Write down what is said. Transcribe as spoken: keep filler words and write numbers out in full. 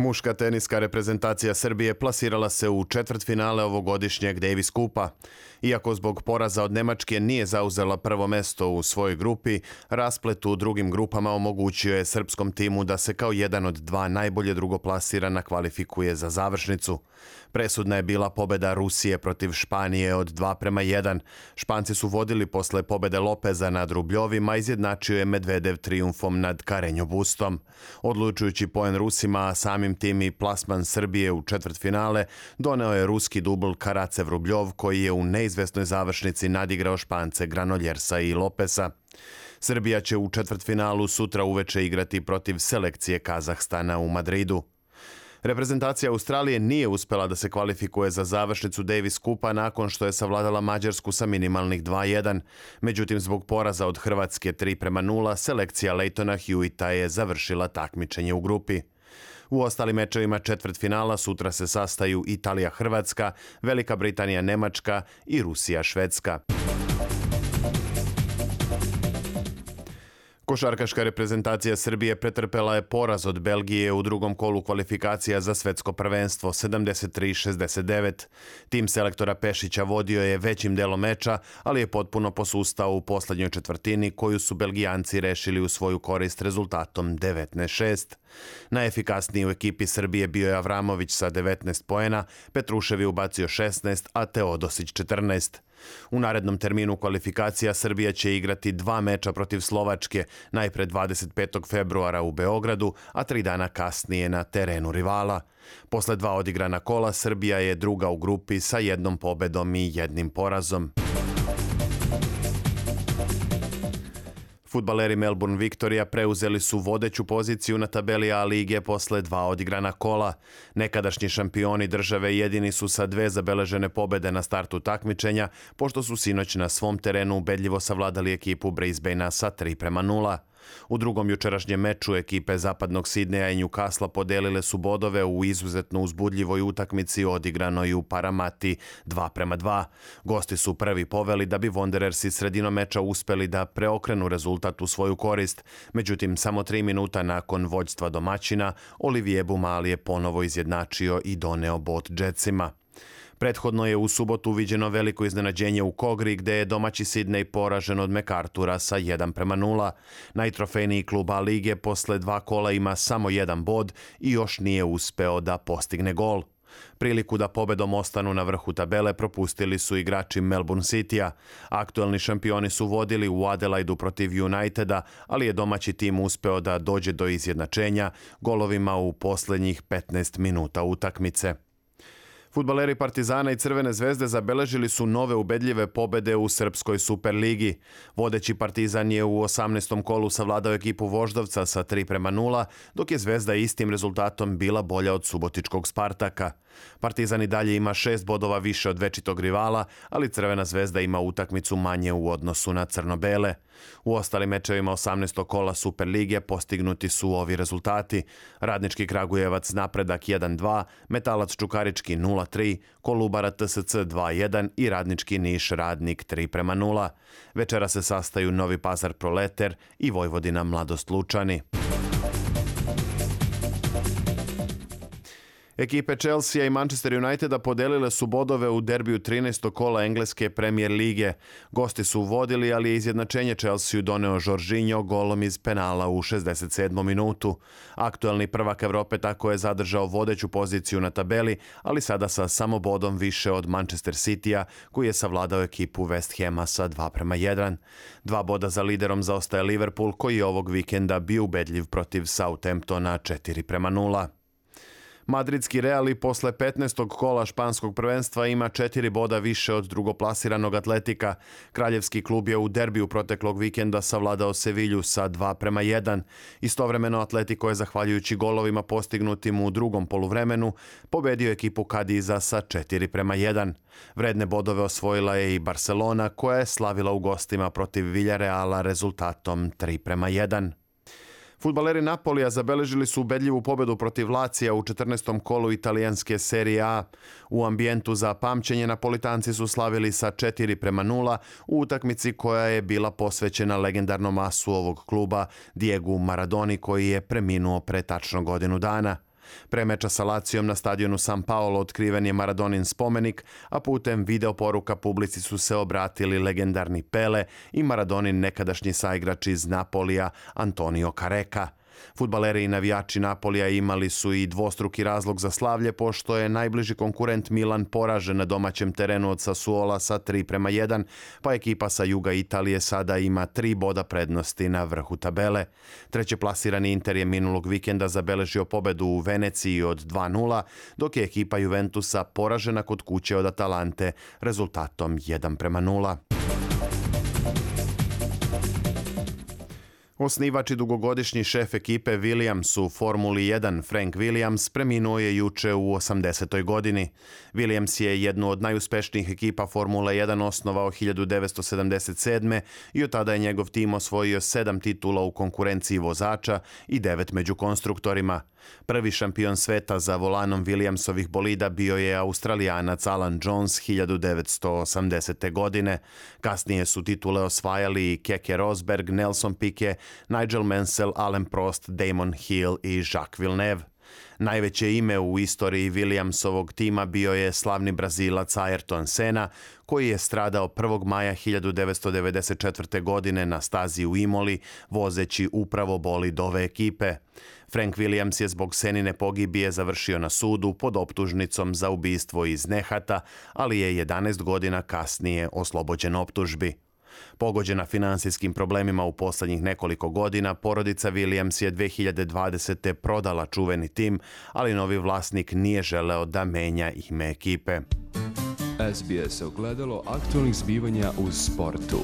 Muška teniska reprezentacija Srbije plasirala se u četvrtfinale ovogodišnjeg Davis Kupa. Iako zbog poraza od Nemačke nije zauzela prvo mesto u svojoj grupi, rasplet u drugim grupama omogućio je srpskom timu da se kao jedan od dva najbolje drugoplasirana kvalifikuje za završnicu. Presudna je bila pobeda Rusije protiv Španije od dva prema jedan. Španci su vodili posle pobede Lopeza nad Rubljovim, a izjednačio je Medvedev trijumfom nad Karenjo Bustom. Odlučujući poen Rusima, a samim tim i plasman Srbije u četvrtfinale, doneo je ruski dubl Karacev-Rubljov, koji je u neizvesnoj završnici nadigrao Špance Granoljersa i Lopesa. Srbija će u četvrtfinalu sutra uveče igrati protiv selekcije Kazahstana u Madridu. Reprezentacija Australije nije uspela da se kvalifikuje za završnicu Davis Kupa nakon što je savladala Mađarsku sa minimalnih dva jedan. Međutim, zbog poraza od Hrvatske tri prema nula, selekcija Leightona Hewita je završila takmičenje u grupi. U ostalim mečevima četvrtfinala sutra se sastaju Italija-Hrvatska, Velika Britanija-Nemačka i Rusija-Švedska. Košarkaška reprezentacija Srbije pretrpela je poraz od Belgije u drugom kolu kvalifikacija za svetsko prvenstvo sedamdeset tri šezdeset devet. Tim selektora Pešića vodio je većim delom meča, ali je potpuno posustao u poslednjoj četvrtini koju su Belgijanci rešili u svoju korist rezultatom devetnaest šest. Najefikasniji u ekipi Srbije bio je Avramović sa devetnaest poena, Petrušev je ubacio šesnaest, a Teodosić četrnaest. U narednom terminu kvalifikacija Srbija će igrati dva meča protiv Slovačke, najpre dvadeset petog februara u Beogradu, a tri dana kasnije na terenu rivala. Posle dva odigrana kola, Srbija je druga u grupi sa jednom pobedom i jednim porazom. Fudbaleri Melbourne Victoria preuzeli su vodeću poziciju na tabeli A lige posle dva odigrana kola. Nekadašnji šampioni države jedini su sa dve zabeležene pobede na startu takmičenja, pošto su sinoć na svom terenu ubedljivo savladali ekipu Brisbanea sa tri prema nula. U drugom jučerašnjem meču ekipe Zapadnog Sidneja i Newcastle podelile su bodove u izuzetno uzbudljivoj utakmici odigranoj u Paramati dva prema dva. Gosti su prvi poveli da bi Wanderersi sredinom meča uspeli da preokrenu rezultat u svoju korist. Međutim, samo tri minuta nakon vođstva domaćina, Olivier Bumali je ponovo izjednačio i doneo bod Jetsima. Prethodno je u subotu viđeno veliko iznenađenje u Kogri, gde je domaći Sidney poražen od MacArthura sa jedan prema nula. Najtrofejniji klub A lige posle dva kola ima samo jedan bod i još nije uspeo da postigne gol. Priliku da pobedom ostanu na vrhu tabele propustili su igrači Melbourne Citya. Aktuelni šampioni su vodili u Adelaidu protiv Uniteda, ali je domaći tim uspeo da dođe do izjednačenja golovima u poslednjih petnaest minuta utakmice. Fudbaleri Partizana i Crvene zvezde zabeležili su nove ubedljive pobede u Srpskoj Superligi. Vodeći Partizan je u osamnaestom kolu savladao ekipu Voždovca sa tri prema nula, dok je Zvezda istim rezultatom bila bolja od subotičkog Spartaka. Partizan i dalje ima šest bodova više od večitog rivala, ali Crvena zvezda ima utakmicu manje u odnosu na crno-bele. U ostalim mečevima osamnaestog kola Superlige postignuti su ovi rezultati: Radnički Kragujevac Napredak jedan dva, Metalac Čukarički nula tri, Kolubara T S C dva jedan i Radnički Niš Radnik tri prema nula. Večera se sastaju Novi Pazar Proleter i Vojvodina Mladost Lučani. Ekipe Chelsea i Manchester Uniteda podelile su bodove u derbiju trinaestog kola engleske Premier lige. Gosti su vodili, ali je izjednačenje Chelsea doneo Jorginho golom iz penala u šezdeset sedmom minutu. Aktuelni prvak Evrope tako je zadržao vodeću poziciju na tabeli, ali sada sa samo bodom više od Manchester Citya, koji je savladao ekipu West Hama sa dva prema jedan. Dva boda za liderom zaostaje Liverpool, koji je ovog vikenda bio ubedljiv protiv Southamptona četiri prema nula. Madridski Real i posle petnaestog kola španskog prvenstva ima četiri boda više od drugoplasiranog Atletika. Kraljevski klub je u derbiju proteklog vikenda savladao Sevilju sa dva prema jedan. Istovremeno Atletico je, zahvaljujući golovima postignutim u drugom poluvremenu, pobedio ekipu Kadiza sa četiri prema jedan. Vredne bodove osvojila je i Barcelona, koja je slavila u gostima protiv Villareala rezultatom tri prema jedan. Fudbaleri Napolija zabeležili su ubedljivu pobedu protiv Lacija u četrnaestom kolu italijanske Serije A. U ambijentu za pamćenje Napolitanci su slavili sa četiri prema nula u utakmici koja je bila posvećena legendarnom asu ovog kluba Diegu Maradoni, koji je preminuo pre tačno godinu dana. Pre meča sa Lacijom na stadionu San Paolo otkriven je Maradonin spomenik, a putem video poruka publici su se obratili legendarni Pele i Maradonin nekadašnji saigrač iz Napolija Antonio Careca. Fudbaleri i navijači Napolija imali su i dvostruki razlog za slavlje, pošto je najbliži konkurent Milan poražen na domaćem terenu od Sassuola sa tri prema jedan, pa ekipa sa juga Italije sada ima tri boda prednosti na vrhu tabele. Treće plasirani Inter je minulog vikenda zabeležio pobedu u Veneciji od dva nula, dok je ekipa Juventusa poražena kod kuće od Atalante rezultatom jedan prema nula. Osnivač i dugogodišnji šef ekipe Williams u Formuli jedan Frank Williams preminuo je juče u osamdesetoj godini. Williams je jednu od najuspešnijih ekipa Formule jedan osnovao hiljadu devetsto sedamdeset sedme i od tada je njegov tim osvojio sedam titula u konkurenciji vozača i devet među konstruktorima. Prvi šampion sveta za volanom Williamsovih bolida bio je Australijanac Alan Jones hiljadu devetsto osamdesete. godine. Kasnije su titule osvajali i Keke Rosberg, Nelson Piquet, Nigel Mansell, Alain Prost, Damon Hill i Jacques Villeneuve. Najveće ime u istoriji Williamsovog tima bio je slavni Brazilac Ayrton Senna, koji je stradao prvog maja hiljadu devetsto devedeset četvrte. godine na stazi u Imoli, vozeći upravo bolid ove ekipe. Frank Williams je zbog Senine pogibije završio na sudu pod optužnicom za ubistvo iz nehata, ali je jedanaest godina kasnije oslobođen optužbi. Pogođena finansijskim problemima u posljednjih nekoliko godina, porodica Williams je dve hiljade dvadesete. prodala čuveni tim, ali novi vlasnik nije želeo da menja ime ekipe. S B S ogledalo aktualnih zbivanja u sportu.